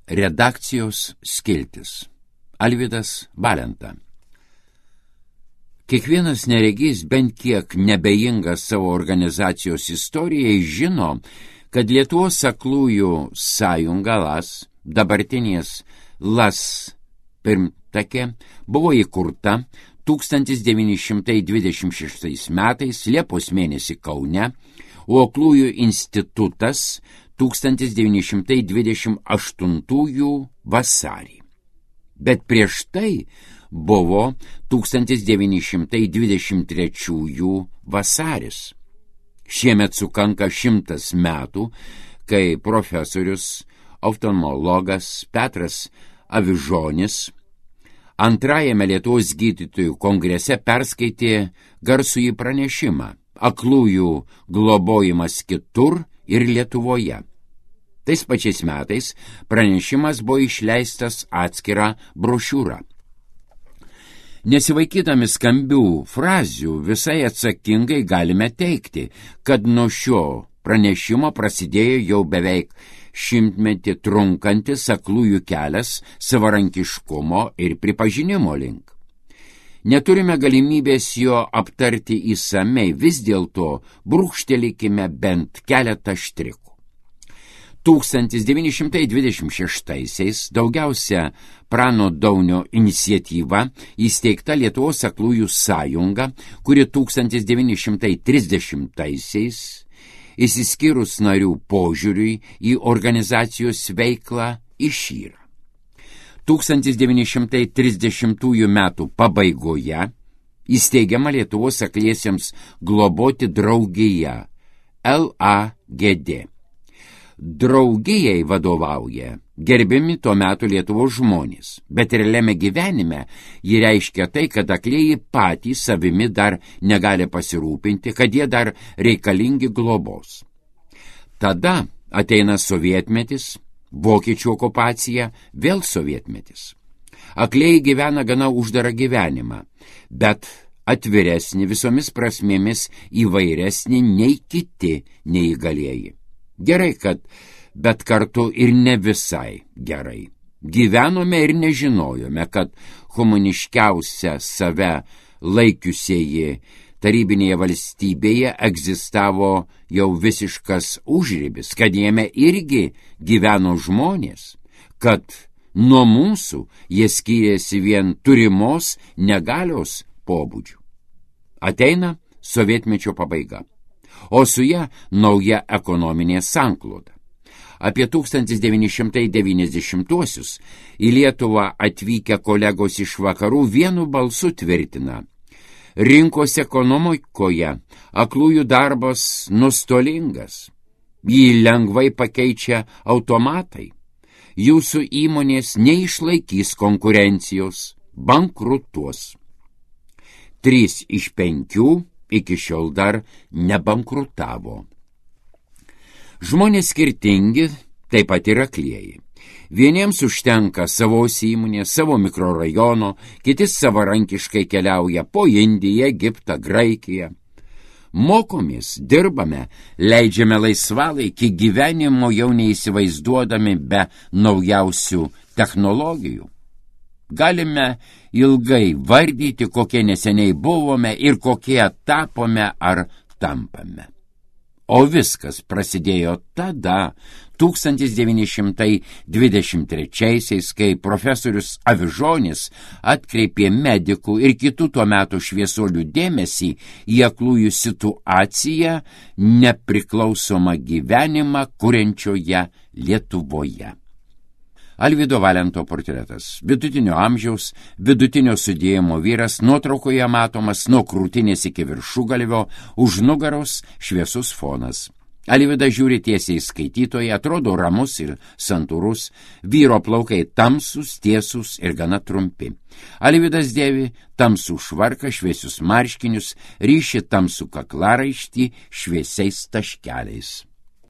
Redakcijos skiltis. Alvydas Valenta. Kiekvienas neregys bent kiek nebejingas savo organizacijos istorijai žino, kad Lietuvos aklųjų sąjunga LAS, dabartinės LAS pirmtakė, buvo įkurta 1926 metais Liepos mėnesį Kaune, o aklųjų institutas 1928 vasarį. Bet prieš tai buvo 1923 vasaris. Šiemet sukanka 100 metų, kai profesorius, oftalmologas Petras Avižonis antrajame Lietuvos gydytojų kongrese perskaitė garsųjį pranešimą Aklųjų globojimas kitur ir Lietuvoje. Tais pačiais metais pranešimas buvo išleistas atskira brošiūra. Nesivaikydami skambių frazių, visai atsakingai galime teigti, kad nuo šio pranešimo prasidėjo jau beveik 100-metį trunkantis aklųjų kelias savarankiškumo ir pripažinimo link. Neturime galimybės jo aptarti įsamei, vis dėlto brūkštelėkime bent keletą štrikų. 1926-aisiais daugiausia Prano Daunio iniciatyva įsteigta Lietuvos aklųjų sąjunga, kuri 1930-aisiais, išsiskyrus narių požiūriui į organizacijos veiklą, išyra. 1930 metų pabaigoje įsteigiama Lietuvos akliesiems globoti draugija LAGD. Draugijai vadovauja gerbiami tuo metu Lietuvos žmonės, bet realiame gyvenime ji reiškia tai, kad aklieji patys savimi dar negali pasirūpinti, kad jie dar reikalingi globos. Tada ateina sovietmetis, vokiečių okupacija, vėl sovietmetis. Aklieji gyvena gana uždarą gyvenimą, bet atviresnį visomis prasmėmis įvairesnį nei kiti neįgalieji. Gerai, bet kartu ir ne visai gerai. Gyvenome ir nežinojome, kad humaniškiausia save laikiusieji tarybinėje valstybėje egzistavo jau visiškas užribis, kad jame irgi gyveno žmonės, kad nuo mūsų jie skyrėsi vien turimos negalios pobūdžių. Ateina sovietmečio pabaiga, o su ja nauja ekonominė sankloda. Apie 1990-uosius į Lietuvą atvykę kolegos iš vakarų vienu balsu tvirtina: rinkos ekonomikoje aklųjų darbas nuostolingas, jį lengvai pakeičia automatai, jūsų įmonės neišlaikys konkurencijos, bankrutuos. 3 iš 5 iki šiol dar nebankrutavo. Žmonės skirtingi, taip pat ir aklieji. Vieniems užtenka savos įmonės, savo mikrorajono, kiti savarankiškai keliauja po Indiją, Egiptą, Graikiją. Mokomės, dirbame, leidžiame laisvalaikį, gyvenimo jau neįsivaizduodami be naujausių technologijų. Galime ilgai vardyti, kokie neseniai buvome ir kokie tapome ar tampame. O viskas prasidėjo tada, 1923-aisiais, kai profesorius Avižonis atkreipė medikų ir kitų tuo metu šviesuolių dėmesį į aklųjų situaciją, nepriklausomą gyvenimą kuriančioje Lietuvoje. Alvydo Valento portretas. Vidutinio amžiaus, vidutinio sudėjimo vyras, nuotraukoje matomas nuo krūtinės iki viršugalvio, už nugaros šviesus fonas. Alvydas žiūri tiesiai skaitytoje, atrodo ramus ir santūrus, vyro plaukai tamsus, tiesus ir gana trumpi. Alvydas dėvi tamsų švarką, šviesius marškinius, ryši tamsų kaklaraištį šviesiais taškeliais.